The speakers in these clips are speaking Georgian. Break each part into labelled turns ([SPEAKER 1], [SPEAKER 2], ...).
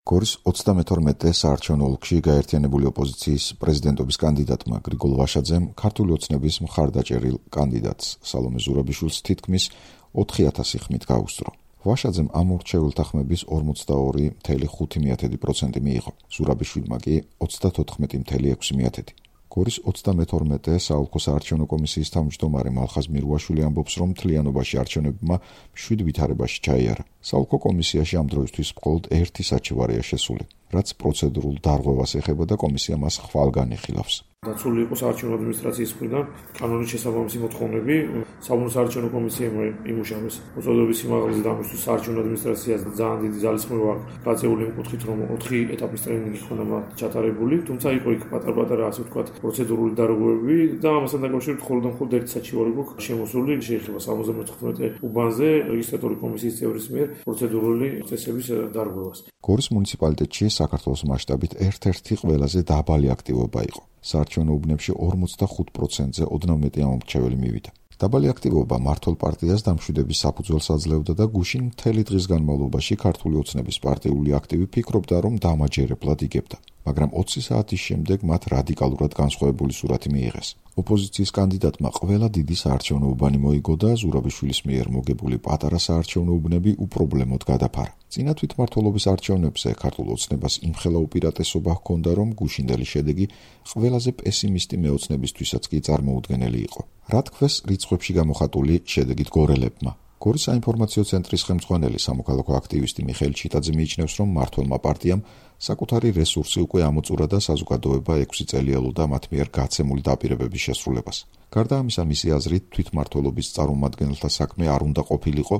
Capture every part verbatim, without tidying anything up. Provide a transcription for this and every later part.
[SPEAKER 1] გორის ოცდამეთორმეტე საარჩევნო ოლქში გაერთიანებული ოპოზიციის პრეზიდენტობის კანდიდატმა გრიგოლ ვაშაძემ ქართული ოცნების მხარდაჭერილ კანდიდატს სალომე ზურაბიშვილს თითქმის ოთხი ათასი ხმით გაუსწრო. ვაშაძემ ამ მორჩეულთა ხმების ორმოცდაორი ფاصლე ხუთი პროცენტი მიიღო, ზურაბიშვილმა კი ოცდათოთხმეტი ფاصლე ექვსი პროცენტი. გორის ოცდამეთორმეტე საოლქო საარჩევნო კომისიის თავმჯდომარე მალხაზ მირუაშვილი ამბობს, რომ მთლიანობაში არჩევნებმა შვიდ ვითარებაში ჩაიარა. საოლქო კომისიაში ამ დროისთვის მხოლოდ ერთი საჩივარია შესული, რაც პროცედურულ დარღვევას ეხება და კომისია მას ხვალგან იხილავს.
[SPEAKER 2] დაცული იყო საარჩევნო ადმინისტრაციის მხრიდან კანონის შესაბამისი მოთხოვნები, საბუნებისმეტყველო საარჩევნო კომისიამ იმუშავეს მოწოდების სიმაღლეზე დამუშვის საარჩევნო ადმინისტრაციას ძალიან დიდი ძალისხმევა გაწეული იმ კუთხით, რომ ოთხი ეტაპის ტრენინგი ხონდა მათ ჩატარებული, თუმცა იყო იქ პატარ-პატარა ასე ვთქვათ პროცედურული დარღვევები და ამასთან დაკავშირებით მხოლოდ და მხოლოდ ერთი საჩივარი გვაქვს შემოსული, შეიძლება სამოცდამოთხმეტე უბანზე რეგისტრატორი კომისიის წევრის მიერ პროცედურული წესების დარღვევას.
[SPEAKER 1] გორის მუნიციპალიტეტში საქართველოს მასშტაბით ერთ-ერთი ყველაზე დაბალი აქტივობა იყო. საარჩევნო უბნებში ორმოცდახუთ პროცენტზე ოდნავ მეტი ამომრჩეველი მივიდა. დაბალი აქტივობა მართლ პარტიას დამშვიდების საფუძველს აძლევდა და გუშინ მთელი დღის განმავლობაში ქართული ოცნების პარტიული აქტივი ფიქრობდა, რომ დამაჯერებლად იგებდა. მაგრამ ოცი საათის შემდეგ მათ რადიკალურად განსხვავებული სურათი მიიღეს. ოპოზიციის კანდიდატმა ყველა დიდი საარჩევნო უბანი მოიგო და ზურაბიშვილის მიერ მოგებული პატარა საარჩევნო უბნები უპრობლემოდ გადაფარა. წინა თვითმმართველობის არჩევნებზე ქართულ ოცნებას იმხელა უპირატესობა ჰქონდა, რომ გუშინდელი შედეგი ყველაზე პესიმისტი მეოცნებისთვისაც კი წარმოუდგენელი იყო. რა თქვეს რიცხვებში გამოხატული შედეგით გორელებმა? გორის საინფორმაციო ცენტრის ხელმძღვანელი სამოქალაქო აქტივისტი მიხეილ ჩიტაძე მიიჩნევს, რომ მართლმა პარტიამ საკუთარი რესურსი უკვე ამოწურა და საზოგადოება ექვსი წელი ელოდა მათ მიერ გაცემული დაპირებების შესრულებას. გარდა ამისა, მისი აზრით, თვითმმართველობის წარმომადგენელთა საქმე არ უნდა ყოფილიყო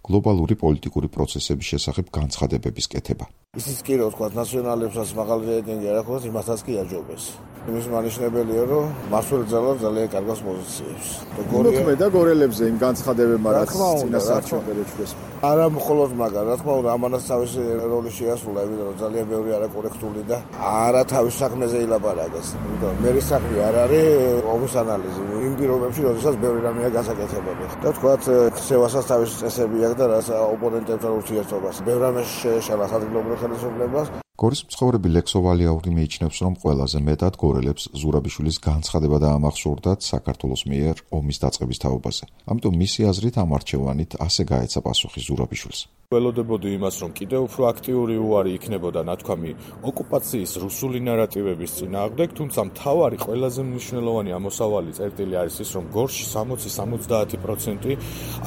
[SPEAKER 1] გლობალური პოლიტიკური პროცესების შესახებ განცხადებების კეთება.
[SPEAKER 3] ისიც კი რო თქვა ნაციონალებსაც მაღალი რეიტინგი არ აქვს, იმასაც კი აჯობეს. იმის მანიშნებელია, რომ მასველ ძალას ძალიან კარგას პოზიციებს.
[SPEAKER 4] გორია და გორელებზე იმ განცხადებებმა რაც წინა საარჩევნო ჩვენს.
[SPEAKER 3] არა მხოლოდ მაგარ, რა თქმა უნდა, ამანაც თავისი როლი შეასრულა, იმიტომ რომ ძალიან ბევრი არაკორექტული და არა თავის საქმეზე ილაპარაკეს. იმიტომ მე საქმე არ არის ომის ანალიზი. იმ პირობებში, როდესაც ბევრი რამეა გასაკეთებელი. და თქვათ, ხსევასაც თავის წესები აქვს და რაც ოპონენტებთან ურთიერთობას. ბევრ რამეში შეეშალა ადგილობრივ ხელისუფლებას.
[SPEAKER 1] გორის მცხოვრები ლექსო ვალიაური მიიჩნევს, რომ ყველაზე მეტად გორელებს ზურაბიშვილის განცხადება დაამახსოვრდათ საქართველოს მიერ ომის დაწყების თაობაზე. ამიტომ მისი აზრით ამ არჩევანით ასე გაეცა პასუხი ზურაბიშვილს.
[SPEAKER 5] ველოდებოდი იმას, რომ კიდევ უფრო აქტიური უარი იქნებოდა ნათქვამი ოკუპაციის რუსული ნარატივების წინააღმდეგ, თუმცა მთავარი ყველაზე მნიშვნელოვანი ამოსავალი წერტილი არის ის, რომ გორში სამოცი სამოცდაათი პროცენტი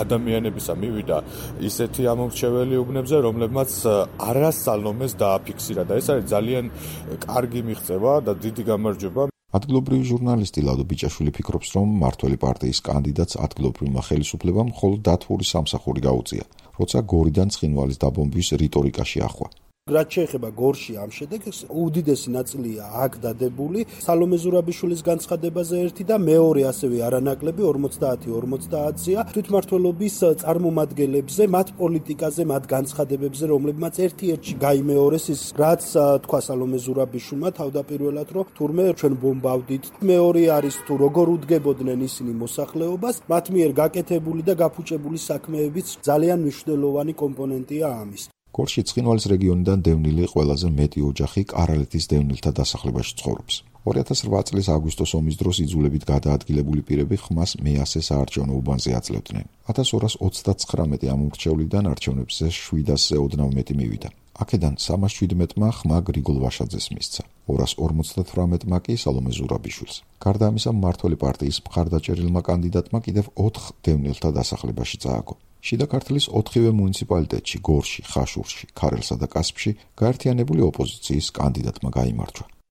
[SPEAKER 5] ადამიანებისა მივიდა ისეთი ამომრჩეველი უბნებზე, რომლებმაც არასალომეს დააფიქსირა და ეს არის ძალიან კარგი მიღწევა და დიდი გამარჯვება.
[SPEAKER 1] ადგილობრივი ჟურნალისტი ლადო ბიჭაშვილი ფიქრობს, რომ მართველი პარტიის კანდიდატს ადგილობრივმა ხელისუფლებამ მხოლოდ დათვური სამსახური გაუწია, როცა გორიდან ცხინვალის დაბომბვის რიტორიკაში ახვა.
[SPEAKER 6] რაც შეეხება გორში ამ შედეგს, უდიდესი ნაწილია აქ დადებული სალომე ზურაბიშვილის განცხადებაზე ერთი და მეორე ასევე არანაკლები ორმოცდაათი ორმოცდაათია თვითმმართველობის წარმომადგენლებზე, მათ პოლიტიკაზე, მათ განცხადებებზე, რომლებმაც ერთ-ერთში გაიმეორეს ის, რაც თქვა სალომე ზურაბიშვილმა თავდაპირველად, რომ თურმე ჩვენ ბომბავდით. მეორე არის თუ როგორ უდგებოდნენ ისინი მოსახლეობას, მათ მიერ გაკეთებული და გაფუჭებული საქმეებიც ძალიან მნიშვნელოვანი კომპონენტია ამის.
[SPEAKER 1] გორში ცხინვალის რეგიონიდან დევნილი ყველაზე მეტი ოჯახი კარალეთის დევნილთა დასახლებაში ცხოვრობს. ორი ათას რვა წლის აგვისტოს ომის დროს იძულებით გადაადგილებული პირები ხმას მეასე საარჩევნო უბანზე აძლევდნენ. ათას ორას ოცდაცხრამეტი ამომრჩევლიდან არჩევნებზე შვიდასზე ოდნავ მეტი მივიდა. აქედან სამას შვიდმეტმა ხმა გრიგოლ ვაშაძეს მისცა, ორას ორმოცდათვრამეტმა კი სალომე ზურაბიშვილს. გარდა ამისა, მმართველი პარტიის მხარდაჭერილმა კანდიდატმა კიდევ ოთხ დევნილთა დასახლებაში წააგო. შიდა ქართლის ოთხივე მუნიციპალიტეტში, გორში, ხაშურში, ქარელსა და კასპში გაერთიანებული ოპოზიციის კანდიდატმა გაიმარჯვა.